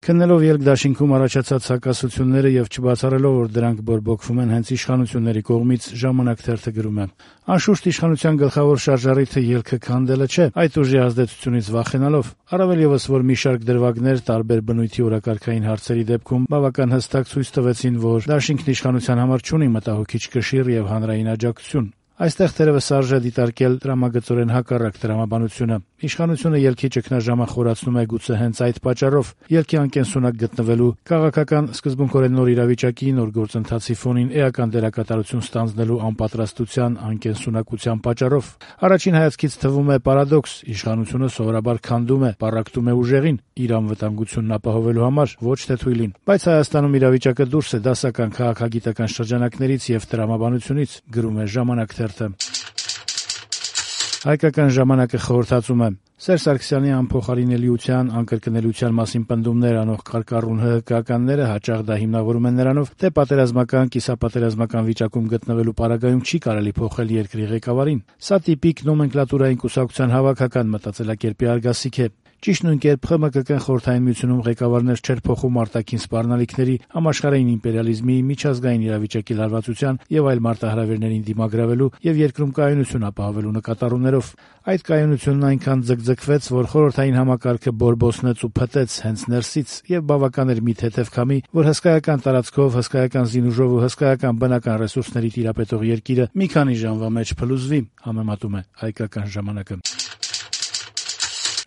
Քննելով ելք դաշինքում առաջացած հակասությունները եւ չբացառելով, որ դրանք բորբոքվում են հենց իշխանությունների կողմից, «Ժամանակ» թերթը գրում է. «Անշուշտ իշխանության գլխավոր շարժառիթը ելքը քանդելը չէ, այդ ուժի ազդեցությունից վախենալով, առավել եւս, որ մի շարք դրվագներ տարբեր բնույթի օրակարգային հարցերի դեպքում բավական հստակ ցույց տվեցին, որ դաշինքն իշխանության համար չունի մտահոգիչ կշիռ եւ հանրային աջակցություն։ Այստեղ թերևս արժե դիտարկել տրամագծորեն հակառակ տրամաբանությունը։ Իշխանությունը ելքի ճգնաժամը խորացնում է գուցե հենց այդ պատճառով, ելքի անկենսունակ գտնվելու, քաղաքական սկզբունքորեն նոր իրավիճակի, նոր գործընթացի ֆոնին էական դերակատարություն ստանձնելու անպատրաստության, անկենսունակության պատճառով։ Առաջին հայացքից թվում է պարադոքս. իշխանությունը սովորաբար քանդում է, պառակտում է ուժեղին, իր անվտանգությունն ապահովելու համար, ոչ թե թույլին։ Բայց Հայաստանում իրավիճակը դուրս է դասական քաղաքագիտական շրջանակներից եւ տրամաբանությունից, գրում է «Ժամանակ» թերթը։ Հայկական ժամանակը խորհրդածում է. Սերժ Սարգսյանի անփոխարինելիության, անկրկնելիության մասին պնդումներ անող կարկառուն ՀՀԿ-ականները հաճախ դա հիմնավորում են նրանով, թե պատերազմական, կիսապատերազմական վիճակում գտնվելու պարագայում չի կարելի փոխել երկրի ղեկավարին։ Սա տիպիկ նոմենկլատուրային կուսակցության հավաքական մտածելակերպի արգասիք է։ Ճիշտ նույն կերպ ԽՄԿԿ-ն Խորհրդային Միությունում ղեկավարներ չէր փոխում արտաքին սպառնալիքների, համաշխարհային իմպերիալիզմի, միջազգային իրավիճակի լարվածության եւ այլ մարտահրավերներին դիմագրավելու եւ երկրում կայունություն ապահովելու նկատառումներով։ Այդ կայունությունն այնքան ձգձգվեց, որ խորհրդային համակարգը բորբոսնեց ու փտեց հենց ներսից եւ բավական էր մի թեթեւ քամի, որ հսկայական տարածքով, հսկայական զինուժով ու հսկայական բնական ռեսուրսների տիրապետող երկիրը մի քանի ժամվա մեջ փլուզվի, համեմատում է Հայկական ժամանակը։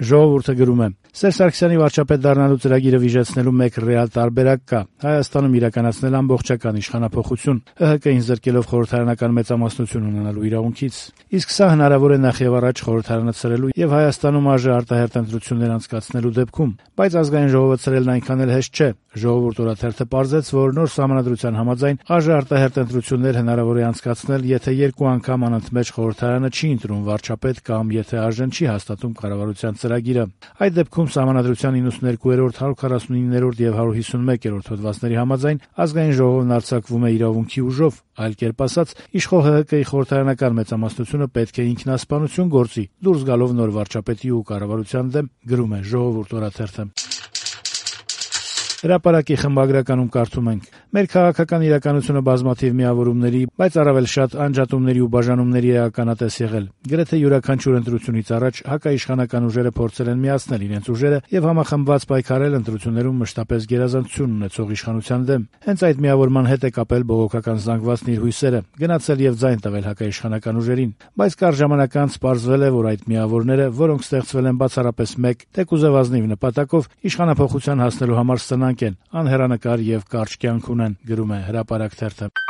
Ժողովուրդը գրում է. Սերժ Սարգսյանի վարչապետ դառնալու ծրագիրը վիժեցնելու մեկ ռեալ տարբերակ կա. Հայաստանում իրականացնել ամբողջական իշխանափոխություն, ՀՀԿ-ին զրկելով խորհրդարանական մեծամասնություն ունենալու իրավունքից։ Իսկ սա հնարավոր է նախ եւ առաջ խորհրդարանը ցրելու եւ Հայաստանում ԱԺ արտահերթ ընտրություններ անցկացնելու դեպքում, բայց ազգային ժողովը ցրելն այնքան էլ հեշտ չէ։ Ժողովուրդ օրաթերթը պարզեց, որ նոր սահմանադրության համաձայն ԱԺ արտահերթ ընտրություններ հնարավոր է անցկացնել, եթե երկու անգամ անընդմեջ խորհրդարանը չի ընտրում վարչապետ կամ եթե ԱԺ-ն չի հաստատում կառավարության ծրագիրը։ Այդ դեպքում Սահմանադրության 92-րդ, 149-րդ եւ 151-րդ հոդվածների համաձայն ազգային ժողովն արձակվում է իրավունքի ուժով, այլ կերպ ասած, իշխող ՀՀԿ-ի խորհրդարանական մեծամասնությունը պետք է ինքնասպանություն գործի, դուրս գալով նոր վարչապետի ու կառավարության դեմ, գրում է Ժողովուրդ օրաթերթը։ Հրապարակի խմբագրականում կարդում ենք. Մեր քաղաքական իրականությունը բազմաթիվ միավորումների, բայց առավել շատ անջատումների ու բաժանումների է ականատես եղել։ Գրեթե յուրաքանչյուր ընտրությունից առաջ հակաիշխանական ուժերը փորձել են միացնել իրենց ուժերը եւ համախմբված պայքարել ընտրություններում մշտապես գերազանցություն ունեցող իշխանության դեմ։ Հենց այդ միավորման հետ է կապել բողոքական զանգվածն իր հույսերը, գնացել եւ ձայն տվել հակաիշխանական ուժերին։ Բայց կարճ ժամանակ անց պարզվել է, որ այդ միավորները, որոնք ստեղծվել են բացառապես մեկ, թեկուզև ազնիվ նպատակով, իշխանափոխության հասնելու համար սնանկ են, անհեռանկար եւ կարճ կյանք ունեն, գրում է Հրապարակ թերթը։